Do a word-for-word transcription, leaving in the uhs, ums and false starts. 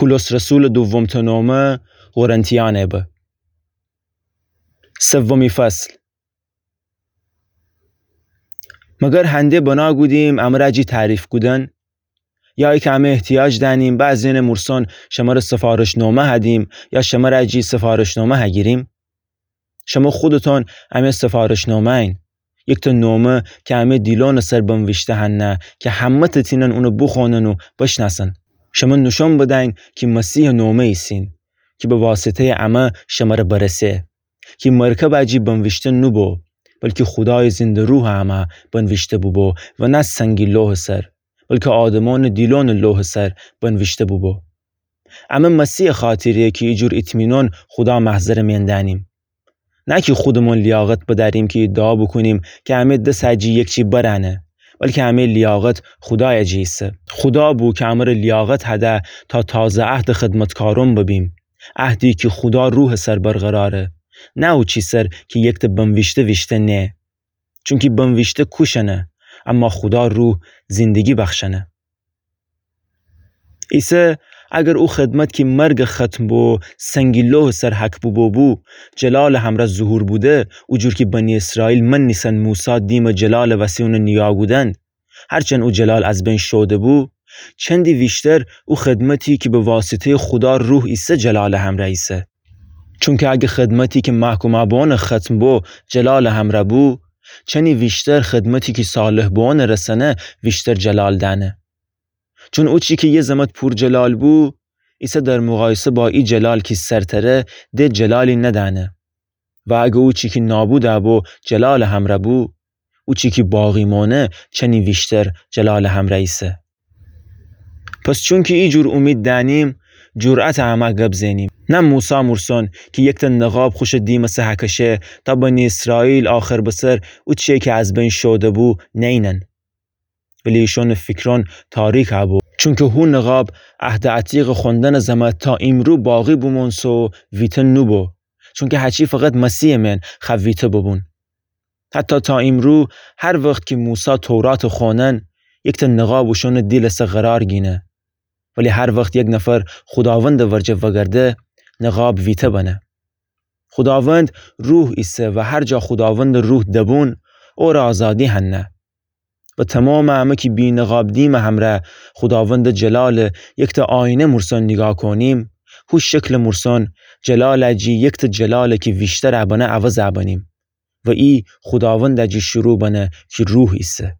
پولس رسولٚ دومتأ نومه قرنتیأنه به. سومی فصل. مگر هنده بنا گودیم امر جی تعریف کودن؟ یا ایکه امه احتیاج دأنیم بعضی‌یأنٚ مورسون شمر سفارش‌نومه هدیم یا شمر جی سفارش‌نومه هگیریم؟ شمه خودتون امه سفارش‌نومه‌ین. یکتأ نومه کی امه دیلونٚ سر بنویشته هنه کی همه‌تأ تینن اونه بوخوأنن و بشنأسن. شمه نوشون بدین کی مسیحٚ نومه ایسین کی به واسطه‌یٚ امه شمر برسه. کی مرکب جی بنویشته نوبو، بلکی خودایٚ زنده روحٚ امه بنویشته بوبو و نه سنگی لوحٚ سر، بلکی آدمأنٚ دیلونٚ لوحٚ سر بنویشته بوبو. امه مسیحٚ خاطره کی ایجور اطمینان خودا محضرٚ مئن دأنیم. نه کی خودمون لیاقت بدأریم کی ادعا بوکونیم کی امه دس جی یکچی برأنه، بلکی امه لیاقت خودای جی ایسه. خودا بو کی امر لیاقت هده تا تازه عهدٚ خدمتکارون ببیم، عهدی کی خودا روحٚ سر برقراره، نه اوچی سر کی یکتأ بنویشته ویشته نه. چونکی بنویشته کوشأنه، اما خودا روح زندگی بخشأنه. عیسی اگر او خدمت کی مرگٚ ختم بو سنگی لوحٚ سر حک بوبو بو، جلالٚ همرأ ظهور بوده، اوجور کی بنی اسرائیل منیسن موسی دیمٚ جلالٚ وسی اون نیگاه کودند، هرچند او جلال از بین شوده بو، چندی ویشتر او خدمتی کی به واسطه‌یٚ خودا روح ایسه جلالٚ همرأ ایسه. چونکی اگر خدمتی کی محکومه بوأن ختم بو جلالٚ همرأ بو، چنی ویشتر خدمتی کی صالح بوأن رسأنه ویشتر جلال دأنه. چون اوچی کی یه زمت پور جلال بو، ایسه در مقایسه با ای جلال کی سرتره، ده جلالی ندأنه. و اگر اوچی کی نابود بو جلالٚ همرأ بو، اوچی کی باقی مانه چنی ویشتر جلالٚ همرأ ایسه. پس چونکی ایجور اومید دأنیم، جرأتٚ امه گب زنیم. نه موسی مورسون کی یکتأ نقاب خوشٚ دیمٚ سه هکشه تا بنی اسرائیل آخر بسر اوچی کی از بین شوده بو نینن. ولی ایشونٚ فیکرون تاریک بو. چونکی هو نقاب عهدٚ عتیقٚ خوندنٚ زمت تا ایمرو باقی بومونسه و ویته نوبو. چونکی هچی فقط مسیحٚ مئن خو ویته ببون. حتی تا ایمرو هر وخت کی موسی توراتٚ خونن، یکتأ نقاب اوشونٚ دیلٚ سه قرار گینه. ولی هر وخت یک نفر خوداوندٚ ورجه وگرده، نقاب ویته بنه. خوداوند روح ایسه و هر جا خوداوندٚ روح دبون، اور آزادی هنه. و تومامٚ امه کی بی نقاب دیمٚ همرأ خوداوندٚ جلالٚ یکتأ آینه مورسون نیگاه کونیم، هو شکلٚ مورسون جلال جی یکتأ جلال کی ویشتر بنه عوض بنیم. و ای خوداوند جی شروع بنه کی روح ایسه.